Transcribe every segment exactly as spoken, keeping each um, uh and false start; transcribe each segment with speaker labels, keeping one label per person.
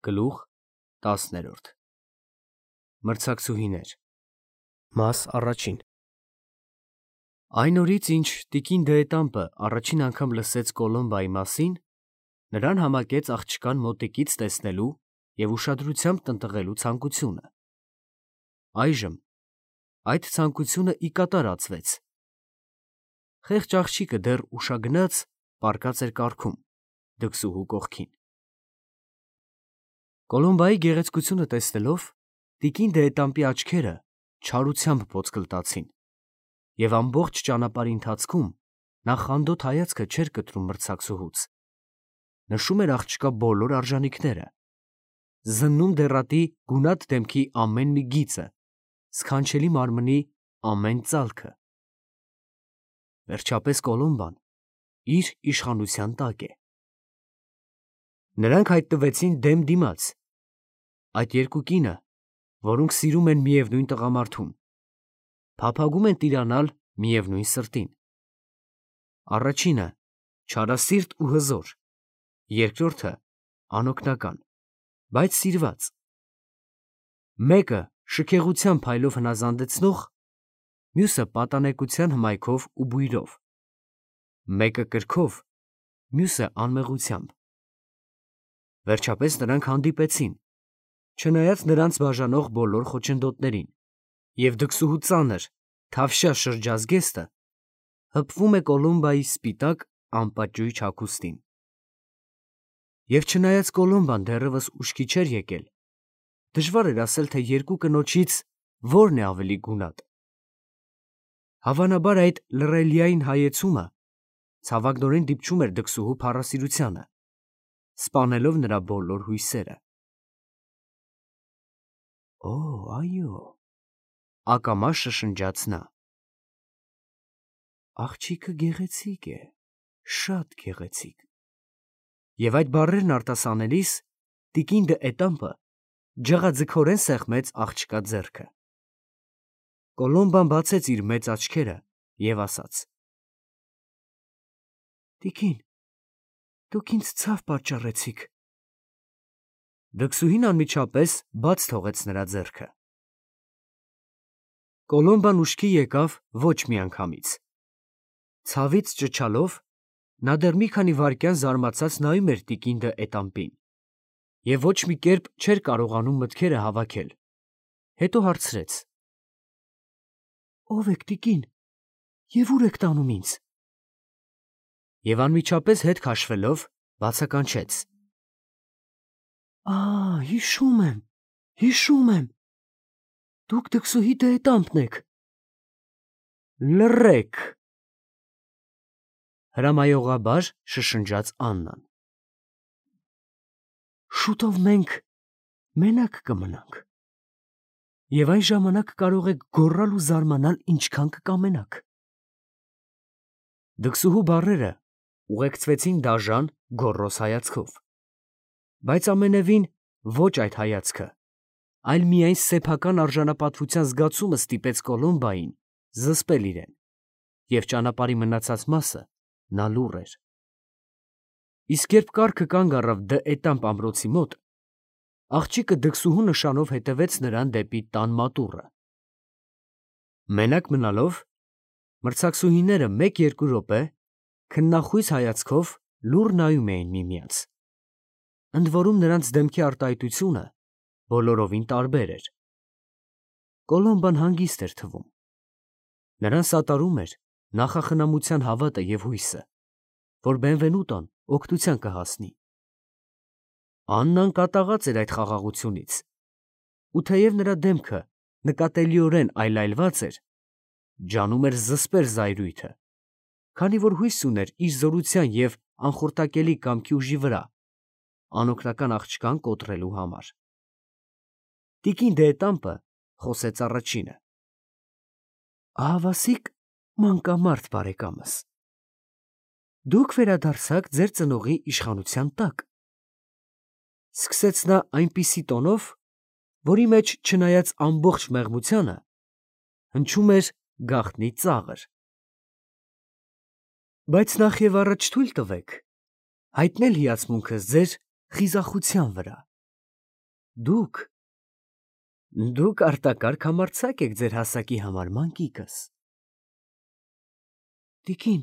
Speaker 1: Գլուխ տասներորդ Մրցակցուհիներ Մաս առաջին Այն օրից, ինչ տիկին Դեետամպը առաջին անգամ լսեց Կոլոմբայի մասին, նրան համակեց աղջկան մոտիկից տեսնելու և ուշադրությամբ տնտղելու ցանկությունը։ Այժմ այդ ցանկությունը ի կատար ածվեց։ Խեղճ աղջիկը դեռ ուշագնաց պառկած էր կառքում, դքսուհու կողքին։ Կոլոմբայի գեղեցկությունը տեսնելով, տիկին Դեետամպի աչքերը չարությամբ ոսկլտացին, և ամբողջ ճանապարհի ընթացքում նա խանդոտ հայացքը չէր կտրում մրցակցուհուց, նշում էր աղջկա բոլոր արժանիքները, զննում դեռատի գունատ դեմքի ամեն մի գիծը, սքանչելի մարմնի ամեն ծալքը։ Վերջապես Կոլոմբան իր իշխանության տակ է։ Նրանք հայտնվեցին դեմ դիմաց, այդ երկու կինը, որոնք սիրում են միևնույն տղամարդուն, փափագում են տիրանալ միևնույն սրտին։ Առաջինը չարասիրտ ու հզոր, երկրորդը անօգնական, բայց սիրված։ Մեկը շքեղության փայլով հնազանդեցնող, մյուսը պատանեկության հմայքով ու բույրով, մեկը կրքով, մյուսը անմեղությամբ։ Վերջապես նրանք հանդիպեցին, չնայած նրանց բաժանող բոլոր խոչընդոտներին, և դքսուհու ծանր, թավշյա շրջազգեստը հպվում է Կոլոմբայի սպիտակ անպատճույճ հագուստին։ Եվ չնայած Կոլոմբան դեռևս ուշքի չէր եկել, դժվար էր ասել, թե երկու կնոջից որն է ավելի գունատ։ Հավանաբար այդ լռելիային հայեցումը ցավակնորեն դիպչում էր դքսուհու փառասիրությանը, սպանելով նրա բոլոր հույսերը։ Օ, այո, ակամա շշնջաց նա։ Աղջիկը գեղեցիկ է, շատ գեղեցիկ։ Եվ այդ բառերն արտասանելիս տիկին Դեետամպը ջղաձգորեն սեղմեց աղջկա ձեռքը։ Կոլոմբան բացեց իր մեծ աչքերը և ասաց. Տիկին, դուք ինձ ցավ պատճառեցիք։ Դքսուհին անմիջապես բաց թողեց նրա ձեռքը։ Կոլոմբան ուշքի եկավ ոչ միանգամից։ Ցավից ճչալով, նա դեռ մի քանի վայրկյան զարմացած նայում էր տիկին Դեետամպին և ոչ մի կերպ չէր կարողանում մտքերը հավաքել, հետո հարցրեց. Ո՞վ եք, տիկին, և ո՞ւր եք տանում ինձ։ Եվ անմիջապես հետ քաշվելով բացականչեց. Ա, հիշում եմ, հիշում եմ, դուք դքսուհի Դեետամպն եք։ Լռեք, հրամայողաբար շշնջաց Աննան։ Շուտով մենք մենակ կմնանք, և այն ժամանակ կարող եք գոռալ ու զարմանալ ինչքան կկամենաք։ Դքսուհու բառերը ուղեկցվեցին դաժան, գոռոզ հայացքով, բայց ամենևին ոչ այդ հայացքը, այլ միայն սեփական արժանապատվության զգացումը ստիպեց Կոլոմբային զսպել իրեն, և ճանապարհի մնացած մասը նա լուռ էր։ Իսկ երբ կառքը կանգ առավ Դեետամպ ամրոցի մոտ, աղջիկը դքսուհու նշանով հետևեց նրան դեպի տան մատուռը։ Մենակ մնալով, մրցակցուհիները մեկ֊երկու րոպե քննախույս հայացքով լուռ նայում էին միմյանց, ընդ որում նրանց դեմքի արտահայտությունը բոլորովին տարբեր էր։ Կոլոմբան հանգիստ էր թվում։ Նրան սատարում էր նախախնամության հավատը և հույսը, որ Բենվենուտոն օգնության կհասնի։ Աննան կատաղած էր այդ խաղաղությունից, ու թեև նրա դեմքը նկատելիորեն այլայլված էր, ջանում էր զսպել զայրույթը, քանի որ հույս ուներ իր զորության և անխորտակելի կամքի ուժի վրա անօգնական աղջկան կոտրելու համար։ Տիկին Դեետամպը խոսեց առաջինը. Ահավասիկ մանկամարդ բարեկամս, դուք վերադարձաք ձեր ծնողի իշխանության տակ, սկսեց նա այնպիսի տոնով, որի մեջ, չնայած ամբողջ մեղմությանը, հնչում էր գաղտնի ծաղր։ Բայց նախ և առաջ թույլ տվեք հայտնել հիացմունքս ձեր խիզախության վրա։ Դուք, դուք արտակարգ համարձակ եք ձեր հասակի համար, մանկիկս։ Տիկին,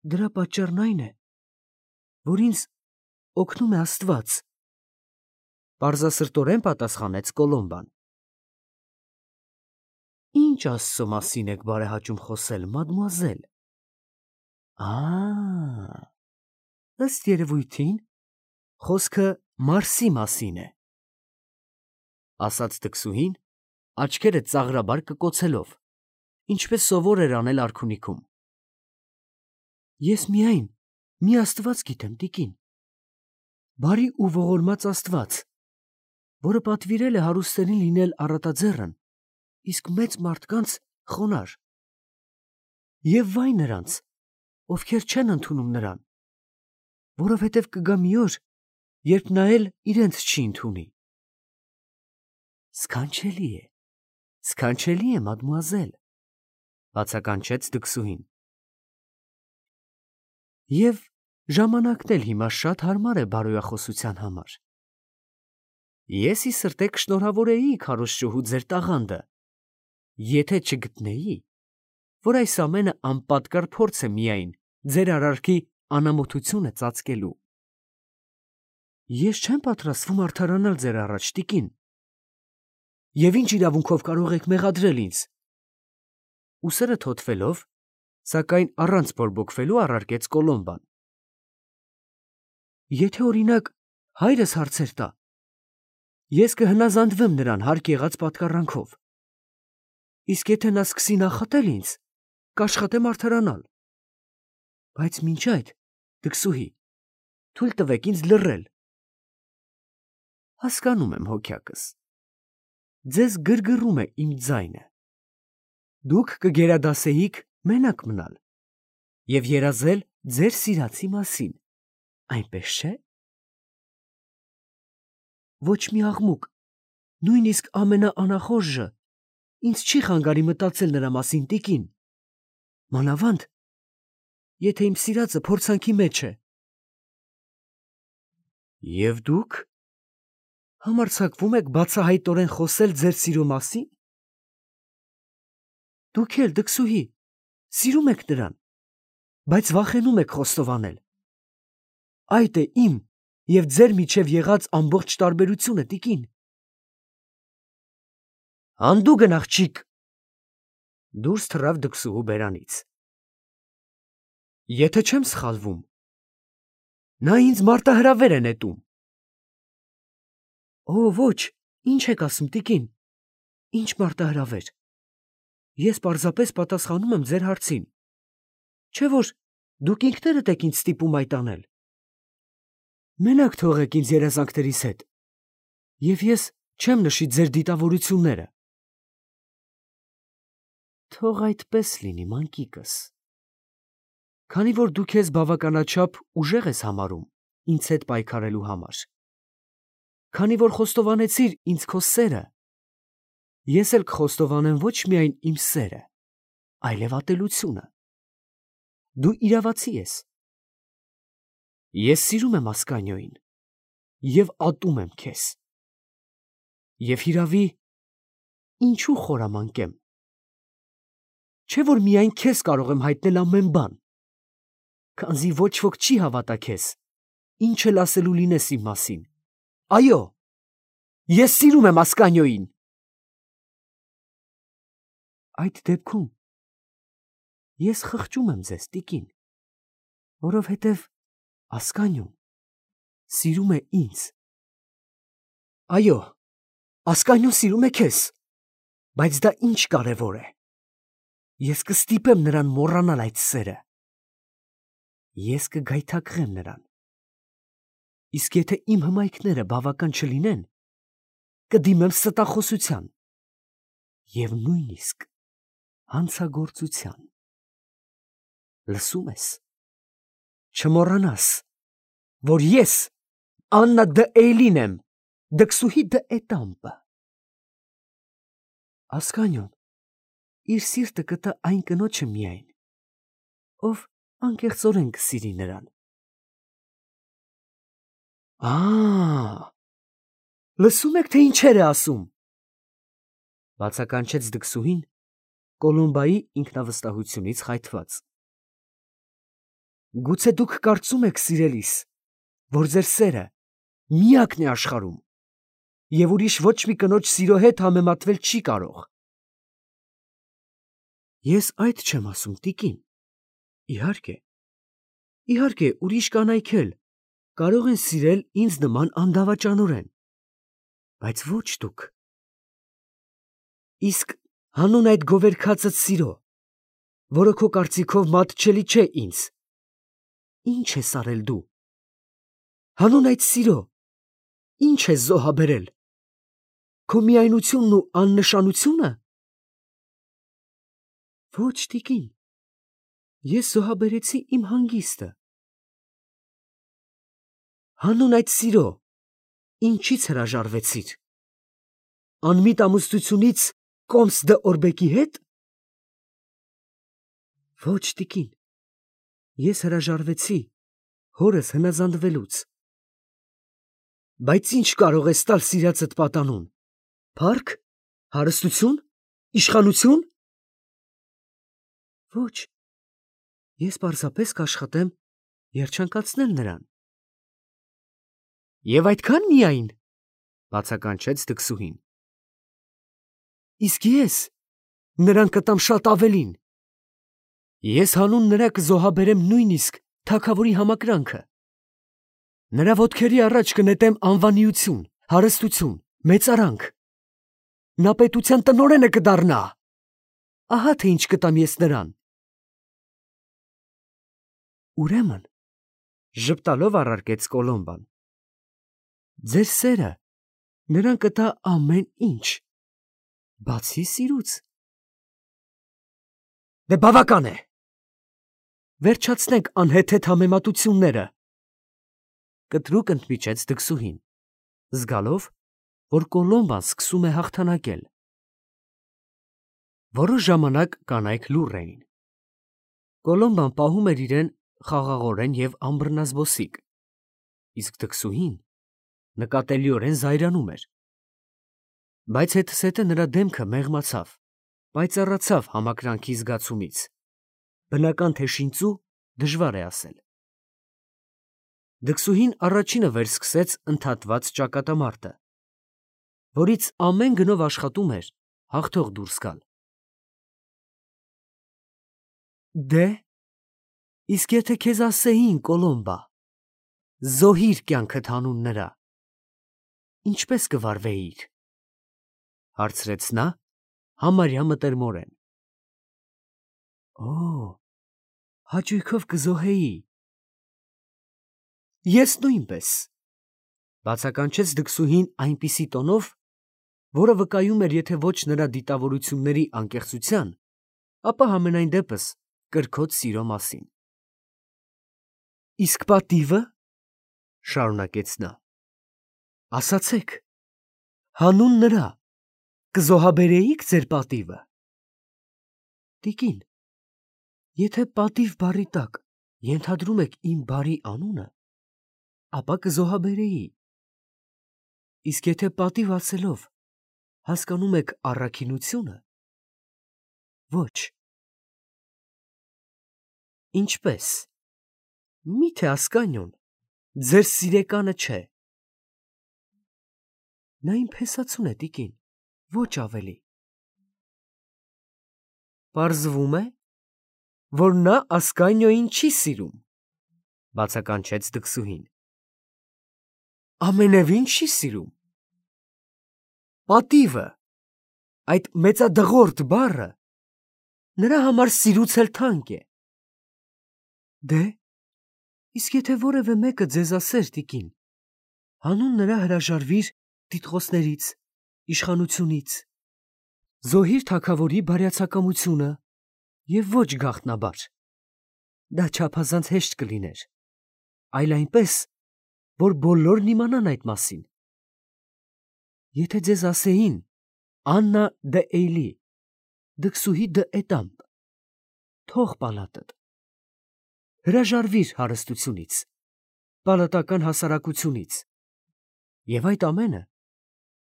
Speaker 1: դրա պատճառն այն է, որ ինձ օգնում է Աստված, պարզասրտորեն պատասխանեց Կոլոմբան։ Ինչ Աստծո մասին եք բարեհաճում խոսել, մադմուազել։ Ա, ըստ երևույթին, խոսքը Մարսի մասին է, ասաց դքսուհին, աչքերը ծաղրաբար կկոցելով, ինչպես սովոր էր անել արքունիքում։ Ես միայն մի Աստված գիտեմ, տիկին, բարի ու ողորմած Աստված, որը պատվիրել է հարուստերին լինել առատաձեռն, իսկ մեծ մարդկանց խոնարհ։ Եվ վայ նրանց, ովքեր չեն ընդունում նրան, որովհետև կգա մի օր, երբ նա էլ իրենց չի ընդունի։ Սքանչելի է, սքանչելի է, մադմուազել, բացականչեց դքսուհին։ Եվ ժամանակն էլ հիմա շատ հարմար է բարոյախոսության համար։ Ես ի սրտե կշնորհավորեի քարոզչուհու ձեր տաղանդը, եթե չգտնեի, որ այս ամենը անպատկառ փորձ է միայն ձեր արարքի անամոթությունը ծածկելու։ Ես չեմ պատրաստվում արդարանալ ձեր առաջ, տիկին։ Եվ ինչ իրավունքով կարող եք մեղադրել ինձ։ Ուսերը թոթվելով, սակայն առանց բորբոքվելու առարկեց Կոլոմբան։ Եթե օրինակ հայրս հարցեր տա, ես կհնազանդվեմ նրան հարկ եղած պատկառանքով։ Իսկ եթե նա սկսի նախատել ինձ, կաշխատեմ արդարանալ։ Բայց մինչ այդ, դքսուհի, թույլ տվեք ինձ լռել։ Հասկանում եմ, հոգյակս, ձեզ գրգռում է իմ ձայնը։ Դուք կգերադասեիք մենակ մնալ և երազել ձեր սիրածի մասին, այնպես չէ՞։ Ոչ մի աղմուկ, նույնիսկ ամենաանախորժը, ինձ չի խանգարի մտածել նրա մասին, տիկին, մանավանդ, եթե իմ սիրածը փորձանքի մեջ է։ Եվ դուք համարձակվում եք բացահայտորեն խոսել ձեր սիրո մասին։ Դուք էլ, դքսուհի, սիրում եք նրան, բայց վախենում եք խոստովանել։ Այդ է իմ և ձեր միջև եղած ամբողջ տարբերությունը, տիկին։ Հանդուգն աղջիկ, դուրս թռավ դքսուհու բերանից։ Եթե չեմ սխալվում, նա ինձ մարտահրավեր է նետում։ Օ, ոչ, ինչ եք ասում, տիկին, ինչ մարտահրավեր։ Ես պարզապես պատասխանում եմ ձեր հարցին, չէ՞ որ դուք ինքներդ եք ինձ ստիպում այդ անել։ Մենակ թողեք ինձ երազանքներիս հետ, և ես չեմ նշի ձեր դիտավորությունները։ Թող այդպես լինի, մանկիկս։ Քանի որ դու քեզ բավականաչափ ուժեղ ես համարում ինձ հետ պայքարելու համար, քանի որ խոստովանեցիր ինձ քո սերը, ես էլ կխոստովանեմ ոչ միայն իմ սերը, այլև ատելությունը։ Դու իրավացի ես։ Ես սիրում եմ Ասկանիոին և ատում եմ քեզ։ Եվ հիրավի, ինչու խորամանկեմ։ Չէ՞ որ միայն քեզ կարող եմ հայտնել ամեն բան, քանզի ոչ ոք չի հավատա քեզ, ինչ էլ ասելու լինես իմ մասին։ Այո, ես սիրում եմ Ասկանիոին։ Այդ դեպքում ես խղճում եմ ձեզ, տիկին, որովհետև Ասկանիոն սիրում է ինձ։ Այո, Ասկանիոն սիրում է քեզ, բայց դա ինչ կարևոր է։ Ես կստիպեմ նրան մոռանալ այդ սերը։ Ես կգայթակղեմ նրան։ Իսկ եթե իմ հմայքները բավական չլինեն, կդիմեմ ստախոսության և նույնիսկ հանցագործության։ Լսում ես։ Չմոռանաս, որ ես Աննա դը Էյլին եմ, դքսուհի դը Էտամպը։ Ասկանիոն իր սիրտը կտա այն կնոջը միայն, ով անկեղծորեն կսիրի նրան։ Ա, Լսում եք, թե ինչեր է ասում։ Բացականչեց դքսուհին Կոլոմբայի ինքնավստահությունից խայթված։ Գուցե դուք կարծում եք, սիրելիս, որ ձեր սերը միակն է աշխարհում և ուրիշ ոչ մի կնոջ սիրո հետ համեմատվել չի կարող։ Ես այդ չեմ ասում, տիկին։ Իհարկե, իհարկե, ուրիշ կանայք էլ կարող են սիրել ինձ նման անդավաճանորեն, բայց ոչ դուք։ Իսկ հանուն այդ գովերգածդ սիրո, որը քո կարծիքով մատչելի չէ ինձ, ի՞նչ ես արել դու։ Հանուն այդ սիրո, ի՞նչ ես զոհաբերել։ Քո միայնությունն ու աննշանությո՞ւնը։ Ոչ, տիկին, ես զոհաբերեցի իմ հանգիստը։ Հանուն այդ սիրո, ինչից հրաժարվեցիր։ Անմիտ ամուսնությունից Կոմս դը Օրբեկի հետ։ Ոչ, տիկին, ես հրաժարվեցի հորս հնազանդվելուց։ Բայց ի՞նչ կարող ես տալ սիրածդ պատանուն։ Փառք, հարստություն, իշխանություն։ Ոչ, ես պարզապես կաշխատեմ երջանկացնել նրան։ Եվ այդքան միայն, բացականչեց դքսուհին։ Իսկ ես նրան կտամ շատ ավելին։ Ես հանուն նրա կզոհաբերեմ նույնիսկ թագավորի համակրանքը։ Նրա ոտքերի առաջ կնետեմ անվանիություն, հարստություն, մեծարանք։ Նա պետության տնօրենը կդառնա։ Ահա թե ինչ կտամ ես նրան։ Ուրեմն, ժպտալով առարկեց Կոլոմբան, ձեր սերը նրան կտա ամեն ինչ, բացի սիրուց։ Դե բավական է։ Վերջացնենք անհեթեթ համեմատությունները։ Կտրուկ ընդմիջեց դքսուհին, զգալով, որ Կոլոմբան սկսում է հաղթանակել։ Որոշ ժամանակ կանայք լուռ էին։ Կոլոմբան պահում էր իրեն խաղաղորեն և անբռնազբոսիկ, իսկ դքսուհին նկատելիորեն զայրանում էր։ Բայց հետզհետե նրա դեմքը մեղմացավ, պայծառացավ համակրանքի զգացումից։ Բնական թե շինծու դժվար է ասել։ Դքսուհին առաջինը վերսկսեց ընդհատված ճակատամարտը, որից ամեն գնով աշխատում էր հաղթող դուրս գալ։ Դե, իսկ եթե քեզ ասեին, Կոլոմբա, զոհիր կյանքդ հանուն նրա, ինչպե՞ս կվարվեիր, հարցրեց նա համարյա մտերմորեն։ Օ, հաճույքով կզոհեի։ Ես նույնպես, բացականչեց դքսուհին այնպիսի տոնով, որը վկայում էր եթե ոչ նրա դիտավորությունների անկեղծության, ապա համենայն դեպս կրքոտ սիրո մասին։ Իսկ պատիվը, շարունակեց նա, ասացեք, հանուն նրա կզոհաբերեիք ձեր պատիվը։ Տիկին, եթե պատիվ բառի տակ ենթադրում եք իմ բարի անունը, ապա կզոհաբերեի։ Իսկ եթե պատիվ ասելով հասկանում եք առաքինությունը, ոչ։ Ինչպե՞ս։ Մի՞թե Ասկանիոն ձեր սիրեկանը չէ։ Նա իմ փեսացուն է, տիկին, ոչ ավելի։ Պարզվում է, որ նա Ասկանիոյին չի սիրում, բացականչեց դքսուհին։ Ամենևին չի սիրում։ Պատիվը, այդ մեծադղորդ բառը, նրա համար սիրուց էլ թանկ է։ Դե, իսկ եթե որևէ մեկը ձեզ ասեր, տիկին, հանուն նրա հրաժարվիր տիտղոսներից, իշխանությունից, զոհիր թագավորի բարյացակամությունը և ոչ գաղտնաբար, դա չափազանց հեշտ կլիներ, այլ այնպես, որ բոլորն իմանան այդ մասին։ Եթե ձեզ ասեին Աննա դը Էյլի, դքսուհի դը Էտամպ, թող պալատդ, հրաժարվիր հարստությունից, պալատական հասարակությունից, և այդ ամենը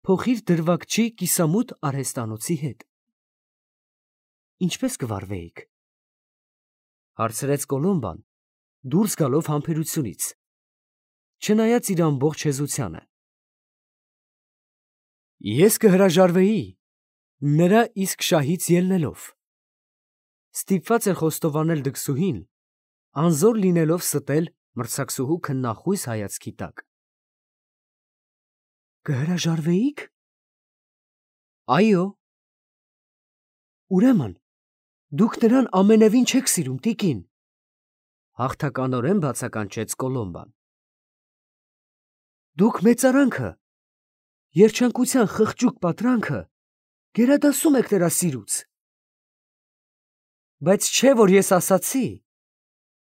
Speaker 1: փոխիր դրվագչի կիսամութ արհեստանոցի հետ։ Ինչպես կվարվեիք, հարցրեց Կոլոմբան, դուրս գալով համբերությունից, չնայած իր ամբողջ հեզությանը։ Ես կհրաժարվեի, նրա իսկ շահից ելնելով։ Ստիպված էր խոստովանել դքսուհին, անզոր լինելով ստել մրցակցուհու քննախույս հայացքի տակ։ Կհրաժարվեիք։ Այո։ Ուրեմն, դուք նրան ամենևին չեք սիրում, տիկին, հաղթականորեն բացականչեց Կոլոմբան։ Դուք մեծարանքը, երջանկության խղճուկ պատրանքը գերադասում եք նրա սիրուց։ Բայց չէ, որ ես ասացի,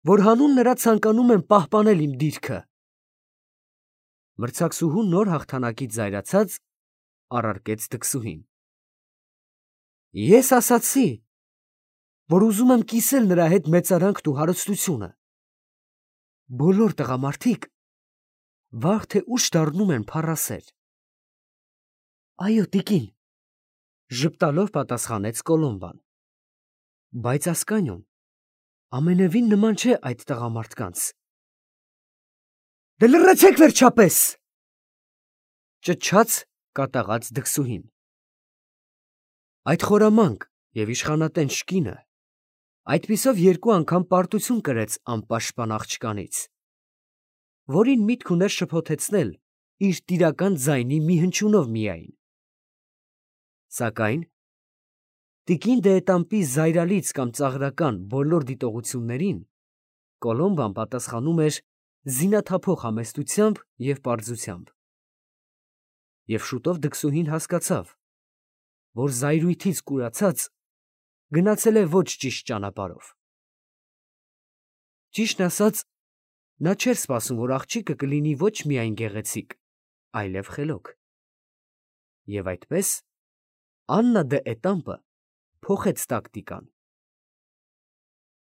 Speaker 1: որ հանուն նրա ցանկանում եմ պահպանել իմ դիրքը։ Մրցակցուհու նոր հաղթանակից զայրացած առարկեց դքսուհին։ Ես ասացի, որ ուզում եմ կիսել նրա հետ մեծարանքն ու հարստությունը։ Բոլոր տղամարդիկ վաղ թե ուշ դառնում են փառասեր։ Այո, տիկին, ժպտալով պատասխանեց Կոլոմբան։ Բայց Ասկանիոն ամենևին նման չէ այդ տղամարդկանց։ Դե լռեցեք վերջապես, ճչաց կատաղած դքսուհին։ Այդ խորամանկ և իշխանատենչ կինը այդպիսով երկու անգամ պարտություն կրեց անպաշտպան աղջկանից, որին միտք ուներ շփոթեցնել իր տիրական ձայնի մի հնչյունով միայն։ Սակայն տիկին դե զայրալից կամ ծաղրական բոլոր դիտողություններին Կոլոմբան պատասխանում էր զինաթափող համեստությամբ և պարզությամբ։ Եվ շուտով դքսուհին հասկացավ, որ զայրույթից կուրացած գնացել է ոչ ճիշտ ճանապարհով։ Ճիշտն ասած, նա չէր սպասում, որ աղջիկը կլինի ոչ միայն գեղեցիկ, այլև խելոք։ Եվ այդպես Աննա դե Էտամպը փոխեց տակտիկան։